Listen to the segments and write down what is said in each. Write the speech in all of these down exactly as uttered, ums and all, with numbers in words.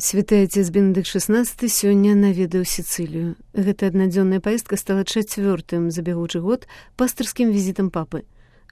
Святы Отец Бенедыкт шестнадцаты сёння наведаў Сіцылію. Гэта аднадзённая паездка стала чацвёртым за бягучы год пастырскім візітам папы.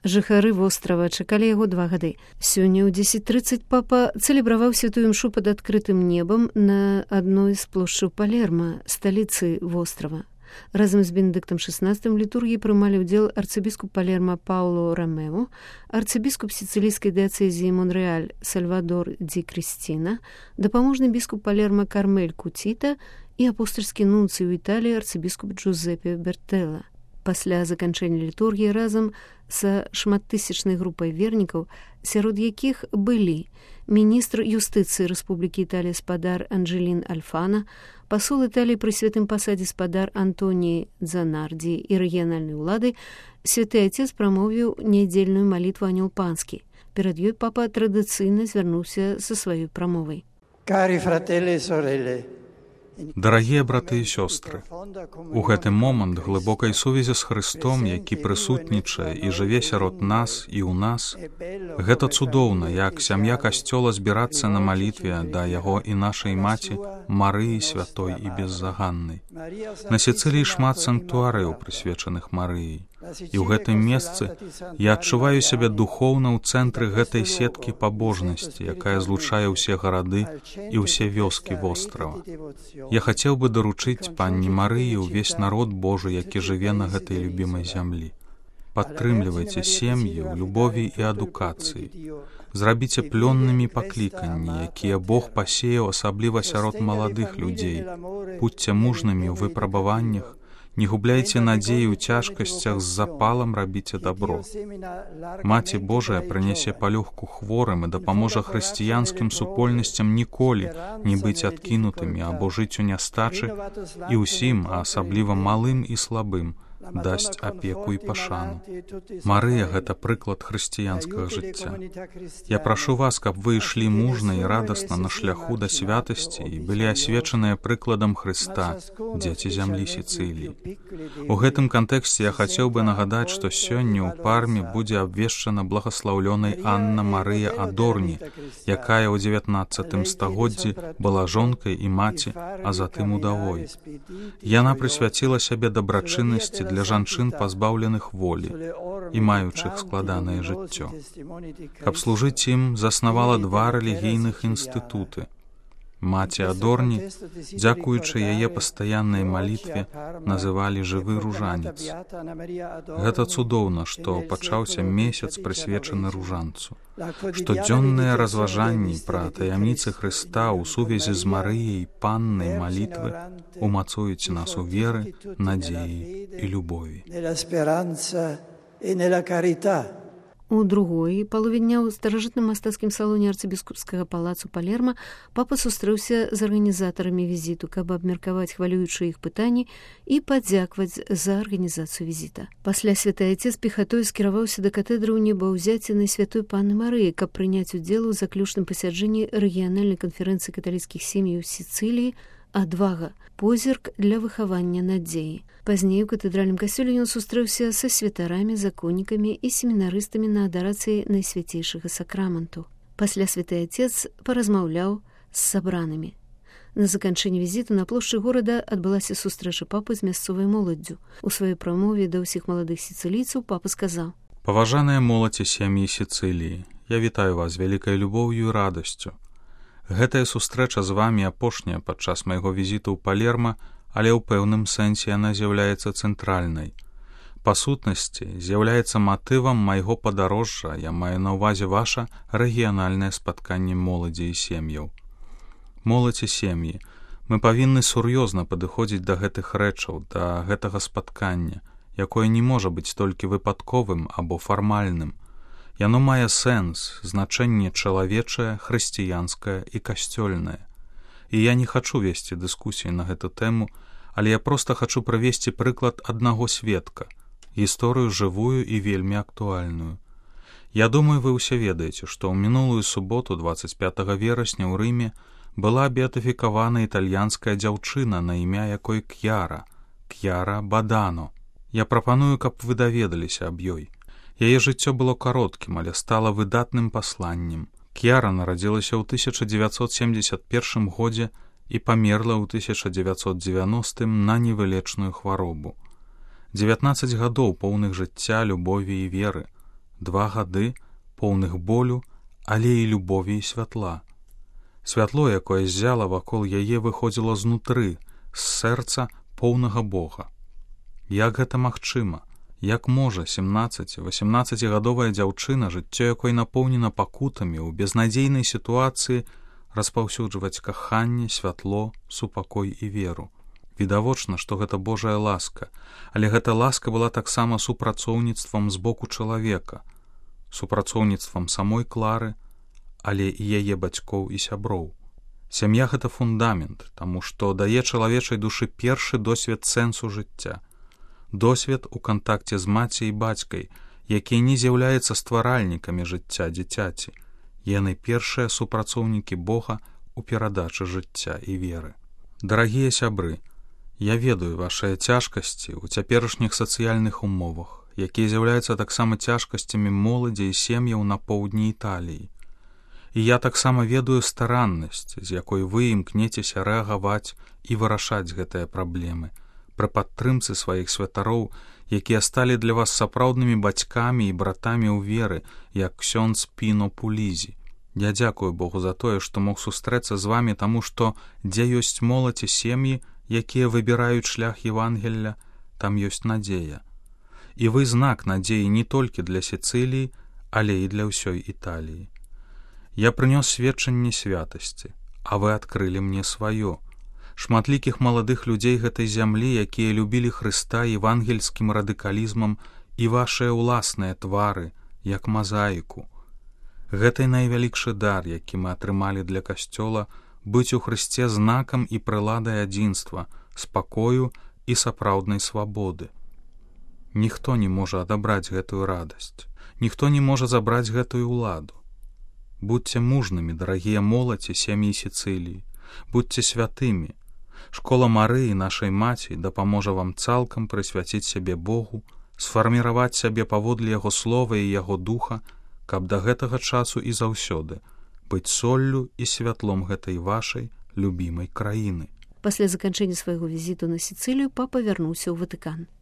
Жыхары вострава чакалі яго два гады. Сёння ў дзесяць трыццаць папа цэлебраваў святую імшу пад адкрытым небам на адной з плошчаў Палерма, сталіцы вострава. Разам з Бенедыктам шестнадцатым літургіі прымалі ўдзел арцыбіскуп Палерма Пауло Ромео, арцыбіскуп сіцылійскай дыяцэзіі Монрэаль Сальвадор Ди Крістіна, дапаможны біскуп Палерма Кармель Куціта і апостальскі нунцый у Італіі арцыбіскуп Джузеппе Бертэлла. Пасля заканчэння літургіі разам са шматтысячнай групай вернікаў, сярод якіх былі міністр юстыцыі Рэспублікі Італія спадар Анджелін Альфана, пасол Італіі пры святым пасадзе спадар Антоні Дзанардзі і рэгіянальнай улады, святы Отец прамовіў нядзельную малітву Анёл Панскі. Перад ёй папа традыцыйна звярнуўся са сваёй прамовай. Карі фрателі і сорелі, Дарагія браты і сёстры, у гэты момант глыбокай сувязі з Хрыстом, які прысутнічае і жыве сярод нас і ў нас, гэта цудоўна, як сям'я касцёла збірацца на малітве да яго і нашай маці Марыі святой і беззаганнай. На Сіцыліі шмат санктуарыяў, прысвечаных Марыі. І ў гэтым месцы я адчуваю сябе духоўна ў цэнтры гэтай сеткі пабожнасці, якая злучае ўсе гарады і ўсе вёскі вострава. Я хацеў бы даручыць панні Марыі ўвесь народ Божы, які жыве на гэтай любімай зямлі. Падтрымлівайце сем'і ў любові і адукацыі. Зрабіце плённымі пакліканні, якія Бог пасеяў асабліва сярод маладых людзей. Будзьце мужнымі ў выпрабаваннях, не губляйце надзеі ў цяжкасцях, з запалам рабіце дабро. Маці Божая прынясе палёгку хворым і дапаможа хрысціянскім супольнасцям ніколі не быць адкінутымі або жыць у нястачы, і ўсім, а асабліва малым і слабым, дасць апеку і пашану. Марыя — гэта прыклад хрысціянскага жыцця. Я прашу вас, каб вы ішлі мужна і радасна на шляху да святасці і былі асвечаныя прыкладам Хрыста, дзеці зямлі Сіцыліі. У гэтым кантэксце я хацеў бы нагадаць, што сёння ў Парме будзе абвешчана благаслаўлёнай Анна Марыя Адорні, якая ў дзевятнаццатым стагоддзі была жонкай і маці, а затым удавой. Яна прысвяціла сябе дабрачыннасці для жанчын, пазбаўленых волі і маючых складанае жыццё. Каб служыць ім, заснавала два рэлігійных інстытуты. Маці Адорні, дзякуючы яе пастаяннай малітве, называлі жывы ружанец. Гэта цудоўна, што пачаўся месяц, прысвечаны ружанцу. Штодзённыя разважанні пра таямніцы Хрыста ў сувязі з Марыяй, паннай малітвы умацуюць нас у веры, надзеі і любові. У другой палове дня ў старажытным мастацкім салоне арцыбіскупскага палацу Палерма папа сустрэўся з арганізатарамі візіту, каб абмеркаваць хвалюючыя іх пытанні і падзякваць за арганізацыю візіта. Пасля святы Отец пехатой скіраваўся да катедры ў небаўзяцінай святой панны Марыі, каб прыняць удзел у заключным пасяджэнні рэгіянальнай канферэнцыі каталіцкіх сем'яў Сіцыліі «Адвага. Позірк для выхавання надзеі». Пазней у катэдральным касцёле ён сустрэўся са святарамі, законнікамі і семінарыстамі на адарацыі найсвяцейшага сакраменту. Пасля святы Отец паразмаўляў з сабранымі. На заканчэнні візіту на плошчы горада адбылася сустрэча папы з мясцовай моладдзю. У сваёй прамове да ўсіх маладых сіцылійцаў папа сказаў: «Паважаныя моладзь і сям'і Сіцыліі, я вітаю вас вялікай любоўю і радасцю. Гэтая сустрэча з вамі апошняя падчас майго візіту ў Палерма, але ў пэўным сэнсе яна з'яўляецца цэнтральнай. Па сутнасці, з'яўляецца матывам майго падарожжа, я маю на ўвазе ваша рэгіянальнае спатканне моладзі і сем'яў. Моладзь і сем'і, мы павінны сур'ёзна падыходзіць да гэтых рэчаў, да гэтага спаткання, якое не можа быць толькі выпадковым або фармальным. Яно мае сэнс, значэнне чалавечае, хрысціянскае і касцёльнае. І я не хачу весці дыскусіі на гэту тэму, але я проста хачу прывесці прыклад аднаго сведка, гісторыю жывую і вельмі актуальную. Я думаю, вы ўсе ведаеце, што ў мінулую суботу, дваццаць пятага верасня ў Рыме, была беатыфікавана італьянская дзяўчына, на імя якой К'яра, К'яра Бадано. Я прапаную, каб вы даведаліся аб ёй. Яе жыццё было кароткім, але стала выдатным пасланнем. К'яра нарадзілася ў тысяча дзевяцьсот семдзесят першым годзе і памерла ў тысяча дзевяцьсот дзевяностым на невылечную хваробу. дзевятнаццаць гадоў поўных жыцця, любові і веры, два гады поўных болю, але і любові і святла. Святло, якое ззяла вакол яе, выходзіла знутры, з сэрца поўнага Бога. Як гэта магчыма? Як можа сямнаццаці-васямнаццацігадовая дзяўчына, жыццё якой напоўнена пакутамі, у безнадзейнай сітуацыі распаўсюджваць каханне, святло, супакой і веру? Відавочна, што гэта Божая ласка, але гэта ласка была таксама супрацоўніцтвам з боку чалавека, супрацоўніцтвам самой Клары, але і яе бацькоў і сяброў. Сям'я — гэта фундамент, таму што дае чалавечай душы першы досвед сэнсу жыцця. Досвед у кантакце з маці і бацькай, якія не з'яўляюцца стваральнікамі жыцця дзіцяці. Яны першыя супрацоўнікі Бога ў перадачы жыцця і веры. Дарагія сябры, я ведаю вашыя цяжкасці ў цяперашніх сацыяльных умовах, якія з'яўляюцца таксама цяжкасцямі моладзі і сем'яў на поўдні Італіі. І я таксама ведаю стараннасць, з якой вы імкнецеся рэагаваць і вырашаць гэтыя праблемы, пры падтрымцы сваіх святароў, якія сталі для вас сапраўднымі бацькамі і братамі ў веры, як ксёндз Піно Пулізі. Я дзякую Богу за тое, што мог сустрэцца з вамі, таму што дзе ёсць моладзь і сем'і, якія выбіраюць шлях Евангелля, там ёсць надзея. І вы знак надзеі не толькі для Сіцыліі, але і для ўсёй Італіі. Я прынёс сведчанне святасці, а вы адкрылі мне сваё. Шматлікіх маладых людзей гэтай зямлі, якія любілі Хрыста евангельскім радыкалізмам, і вашыя ўласныя твары, як мазаіку. Гэтай найвялікшы дар, які мы атрымалі для Касцёла, быць у Хрысце знакам і прыладай адзінства, спакою і сапраўднай свабоды. Ніхто не можа адабраць гэтую радасць, ніхто не можа забраць гэтую ўладу. Будьце мужнымі, дарагія моладзь і сем'і Сіцыліі, будьце святымі. Школа Марыі, нашай маці, дапаможа вам цалкам прысвяціць сябе Богу, сфарміраваць сябе паводле яго слова і яго духа, каб да гэтага часу і заўсёды быць соллю і святлом гэтай вашай любімай краіны. Пасля заканчэння свайго візіту на Сіцылію папа вярнуўся ў Ватыкан.